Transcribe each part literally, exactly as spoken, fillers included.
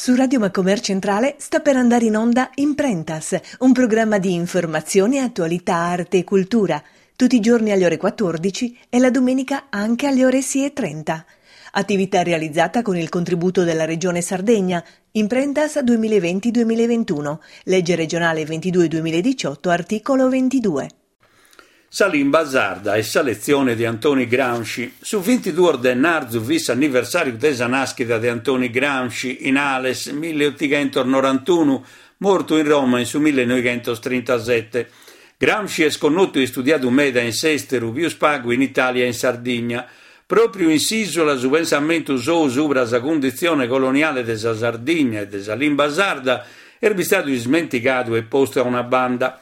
Su Radio Macomer Centrale sta per andare in onda Imprentas, un programma di informazione, attualità, arte e cultura, tutti i giorni alle ore quattordici e la domenica anche alle ore sei e trenta. Attività realizzata con il contributo della Regione Sardegna, Imprentas duemilaventi duemilaventuno, legge regionale ventidue duemiladiciotto, articolo ventidue. Sa limba sarda e sa letzione de Antoni Gramsci. Su ventiduos de ennarzu fit s'anniversàriu de sa nàschida de Antoni Gramsci in Ales, milleotighentos norantunu, mortu in Roma in su millenoighentostrintasete. Gramsci est connotu e istudiadu meda in s'èsteru, pius pagu in Itàlia e in Sardigna. Pròpriu in s'ìsula su pensamentu sou subra sa cunditzione coloniale de sa Sardigna e de sa limba sarda est bistadu ismentigadu e postu a una banda.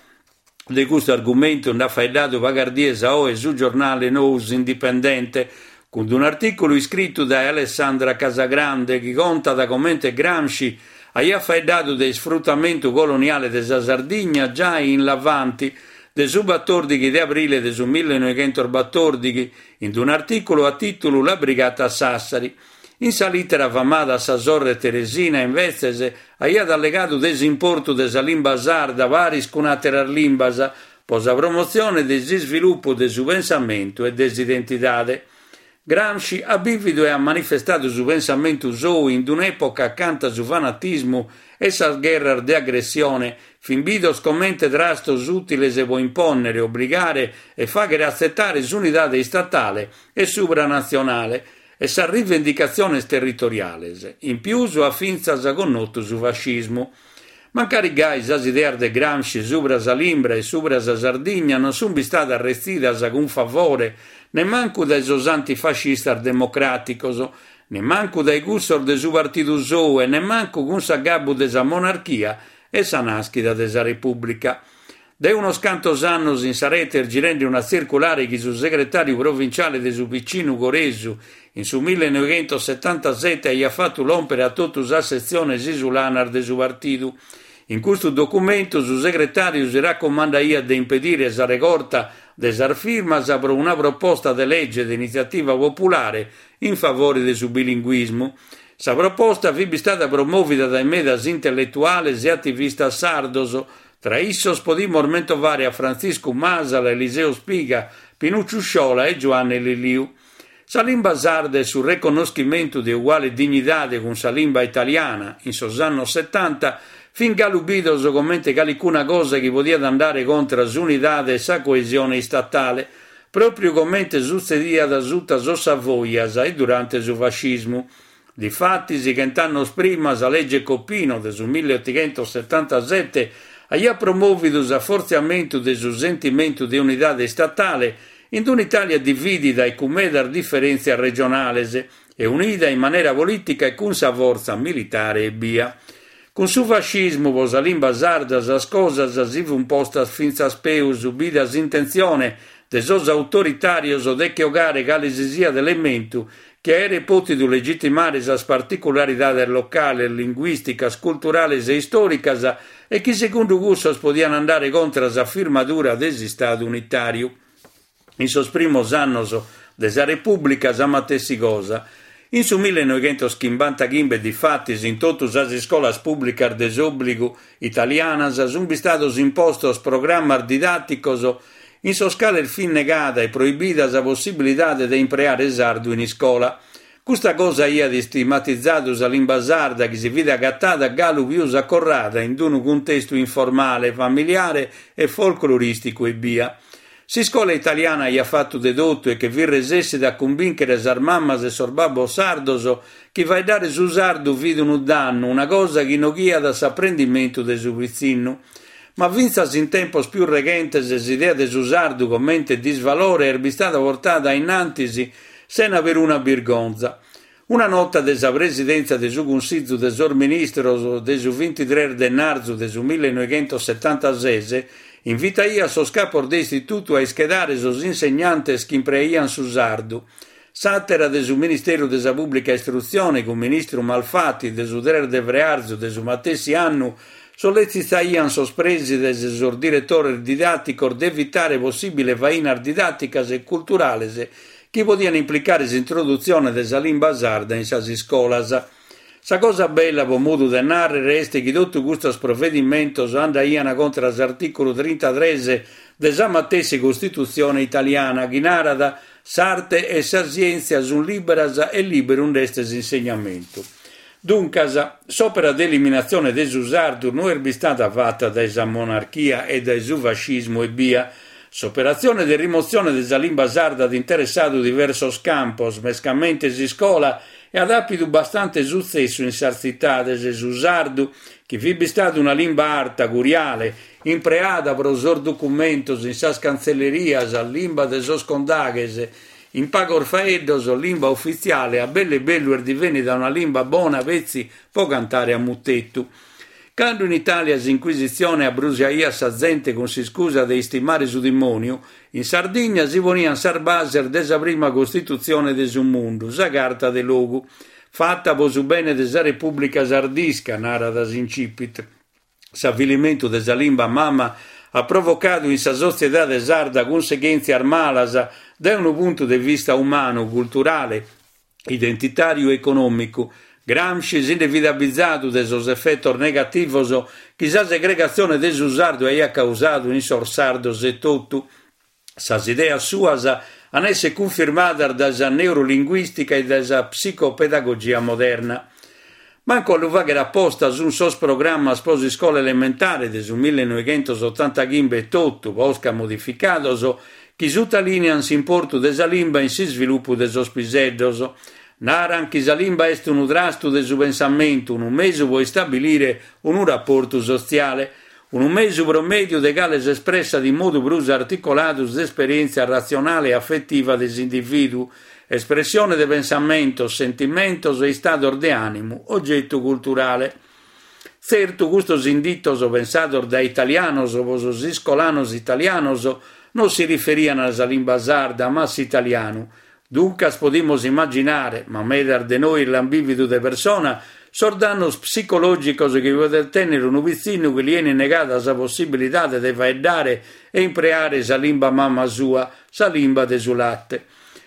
De custu argumentu nd'at faeddadu pagas dies a oe su giornale Nou S'Indipendente, cun un'artìculu iscritu dae Alessandra Casagrande chi contat comente Gramsci aiat faeddadu de isfrutamentu coloniale de sa Sardigna giai in L'Avanti de su batòrdighi de abrile de su millenoighentosbatòrdighi, in un'artìculu a tìtulu La Brigata Sassari. In sa lìtera famada a sa sorre Teresina, imbetzes, aiat allegadu de s'importu de sa limba sarda paris cun àteras limbas pro sa promotzione de s'isvilupu de su pensamentu e de s'identidade. Gramsci at bìvidu e at manifestadu su pensamentu sou in un'època acanta su fanatismu e sas gherras de agressione fin bidos comente trastos ùtiles pro impònnere, obligare e fàghere atzetare s'unidade istatale e supranatzionale e sas rivendicatziones territoriales. In pius at fintzas connotu su fascismu. Mancari gai, sas ideas de Gramsci subra sa limba e subra sa Sardigna non sunt bistadas retzidas cun favore nemmancu dae sos antifascistas democràticos, nemmancu dae cussos de su partidu sou e nemmancu cun s'agabbu de sa monarchia e sa nàschida de sa Repùblica. De unos cantos annos in sa rete est girende una tzirculare chi su segretàriu provinciale de su P C nugoresu in su millenoighentossetantasete aiat fatu lòmpere a totu sas setziones isulanas de su partidu. In custu documentu su segretàriu si racomandaiat de impedire sa regorta de sas firmas pro una proposta de lege de initziativa populare in favore de su bilinguismu. Sa proposta fit bistada promòvida dae medas intelletuales e ativistas sardos. Tra issos podimus mentovare a Frantziscu Masala, Eliseo Spiga, Pinucciu Sciola e Giuanne Lilliu. Sa limba sarda e su reconnoschimentu de uguale dignidade cun sa limba italiana in sos annos setanta fin galu bidos comente calicuna cosa chi podiat andare contra s'unidade e sa coesione istatale, pròpriu comente sutzediat suta sos Savoias e durante su fascismu. Difatis, chent'annos prima, sa legge Coppino de su milleotighentosetantasete aiat promòvidu s'afortziamentu de su sentimentu de unidade istatale in un'Italia dividida e cun medas diferèntzias regionales e unida in manera polìtica e cun sa fortza militare ebbia. Cun su fascismu pro sa limba sarda sas cosas si fun postas fintzas peus, bida s'intentzione de sos autoritàrios de che 'ogare cale si siat elementu chi aeret pòtidu legitimare sas particularidades locales, linguìsticas, culturales e istòricas e chi segundu cussos podian andare contra s'afirmadura de s'Istadu unitàriu. In sos primos annos de sa Repùblica sa matessi cosa. In su millenoighentoschimbantachimbe, difatis, in totu sas iscolas pùblicas de s'òbligu italianas sunt bistados impostos programmas didàticos in sos cales fit negada e proibida sa possibilidade de impreare sardu in iscola. Custa cosa aiat istigmatizadu sa limba sarda chi si fit agatada galu pius acorrada in unu cuntestu informale, familiare e folclorìsticu ebbia. S'iscola italiana aiat fatu de totu e che fit resessida a cumbìnchere sas mamas e sos babbos sardos chi faeddare su sardu fit unu dannu, una cosa chi noghiat s'aprendimentu de su pitzinnu. Ma fintzas in tempos pius reghentes s'idea de su sardu comente disvalore est bistada portada innantis sena peruna birgonza. Una nota de sa Presidèntzia de su Cunsìgiu de sos Ministros de su bintitrès de ennarzu de su millenoighentossetantases invitaiat sos capos de istitutu a ischedare sos insegnantes chi impreaiant su sardu. S'àtera de su Ministeru de sa Pùblica Istrutzione, cun ministru Malfatti, de su tres de frearzu de su matessi annu, solletzitaiant sos prèsides e sos diretores didàticos de evitare possìbiles fainas didàticas e culturales chi podiant implicare s'introdutzione de sa limba sarda in sas iscolas. Sa cosa bella, pro modu de nàrrere, est chi totu custos provedimentos andaiant contra s'artìculu trintatrès de sa matessi Costitutzione italiana, chi narat s'arte e sa sièntzia sunt lìberas e lìberu nd'est s'insegnamentu. Duncas, s'òpera de eliminatzione de su sardu no est bistada fata dae sa monarchia e dae su fascismu ebbia. S'operatzione de rimotzione de sa limba sarda at interessadu diversos campos, mescamente s'iscola, e at àpidu bastante sutzessu in sas tzitades. Su sardu, chi fit bistadu una limba arta, curiale, impreada pro sos documentos in sas cantzellerias, limba de sos condaghes, in pagos faeddos, limba ufitziale, a bellu e bellu est divennida una limba bona petzi pro cantare a mutetu. Cando in Itàlia s'Inquisitzione abbrusiaiat sa zente cun s'iscusa de istimare su dimòniu, in Sardigna si poniant sas bases de sa prima Costitutzione de su mundu, sa Carta de Logu, fata pro su bene de sa Repùblica Sardisca, narat s'incipit. S'avilimentu de sa limba mama at provocadu in sa sotziedade sarda cunseghèntzias malas dae unu puntu de vista umanu, culturale, identitàriu e econòmicu. Gramsci si nde fit abizadu de sos efetos negativos chi sa segregatzione de su sardu aiat causadu in sos sardos etotu. Sas ideas suas an èssere cunfirmadas dae sa neurolinguìstica e dae sa psicopedagogia moderna. Mancu a lu fàghere aposta sunt sos programmas pro s'iscola elementare de su millenoighentosotantaghimbe etotu, posca modificados, chi sutalìniant s'importu de sa limba in s'isvilupu de sos piseddos. Naran chi sa limba est unu trastu de su pensamentu, unu mesu pro istabilire unu raportu sotziale, unu mesu pro mèdiu de cale s'espressat in modu prus articoladu s'esperièntzia ratzionale e afetiva de s'indivìduu, espressione de pensamentos, sentimentos e istados de ànimu, ogetu culturale. Tzertu, custos inditos pensados dae italianos pro sos iscolanos italianos non si riferiant a sa limba sarda, ma a s'italianu. Duncas podimus immaginare, ma medas de nois l'ant bìvidu de persona, sos dannos psicològicos chi podet tènnere unu pitzinnu chi li enit negada sa possibilidade de faeddare e impreare sa limba mama sua, sa limba de su late.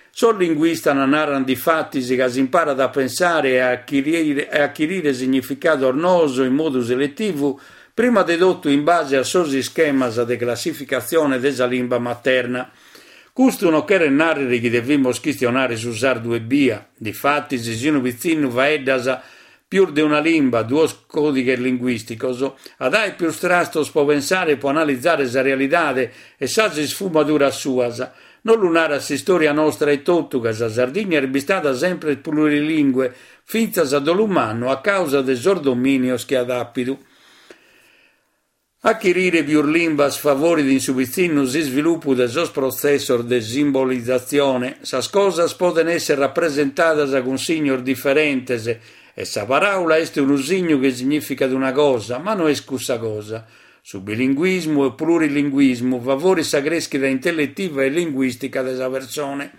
Sos linguistas narant difatis ca s'imparat a pensare e a achirire, a achirire significados noos in modu seletivu, prima de totu in base a sos ischemas de classificatzione de sa limba materna. Custu non cheret nàrrere chi devimus chistionare su sardu ebbia. Difatis, si unu pitzinnu faeddat pius de una limba, duos còdighes linguìsticos, at àere pius trastos pro pensare e pro analizare sa realidade e sas isfumaduras suas. Non lu narat s'istòria nostra etotu, ca sa Sardigna est bistada sempre plurilingue, fintzas a dolu mannu a causa de sos domìnios chi at àpidu. Achirire pius limbas favorit in su pitzinnu s'isvilupu de sos protzessos de simbolizatzione. Sas cosas podent èssere rapresentadas cun signos diferentes e sa paràula est unu signu chi signìficat una cosa, ma no est cussa cosa. Su bilinguismu e plurilinguismu favorit sa crèschida intelletiva e linguìstica de sa persone.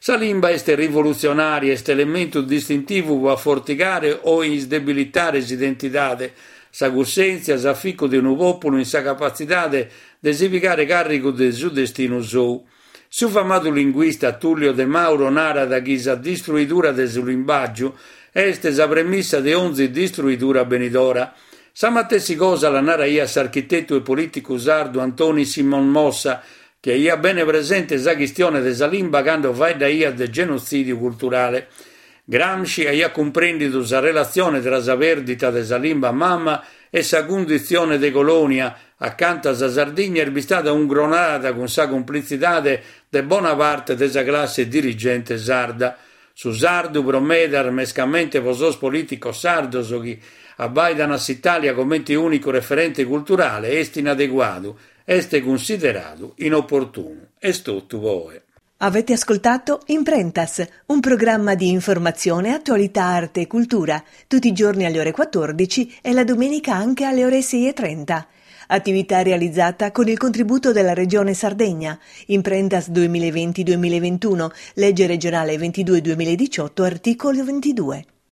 Sa limba est rivolutzionària, est elementu distintivu pro afortigare o isdebilitare s'identidade, sa cussèntzia, s'aficu de unu pòpulu in sa capatzidade de si pigare càrrigu de su destinu sou. Su famadu linguista Tullio De Mauro narat chi sa distruidura de su limbàgiu est sa premissa de onzi distruidura benidora. Sa matessi cosa la naraiat s'architetu e polìticu sardu Antoni Simon Mossa, chi aiat bene presente sa chistione de sa limba cando faeddaiat de genotzìdiu culturale. Gramsci aiat cumprèndidu sa relatzione tra sa pèrdita de sa limba mama e sa cunditzione de colònia, acanta sa Sardigna est bistada ungronada cun sa cumplitzidade de bona parte de sa classe dirigente sarda. Su sardu pro medas, mescamente pro sos polìticos sardos chi abbàidant a s'Itàlia comente ùnicu referente culturale, est inadeguadu, est cunsideradu inoportunu. Est totu pro oe. Avete ascoltato Imprentas, un programma di informazione, attualità, arte e cultura, tutti i giorni alle ore quattordici e la domenica anche alle ore sei e trenta. Attività realizzata con il contributo della Regione Sardegna. Imprentas duemilaventi duemilaventuno, legge regionale ventidue duemiladiciotto, articolo ventidue.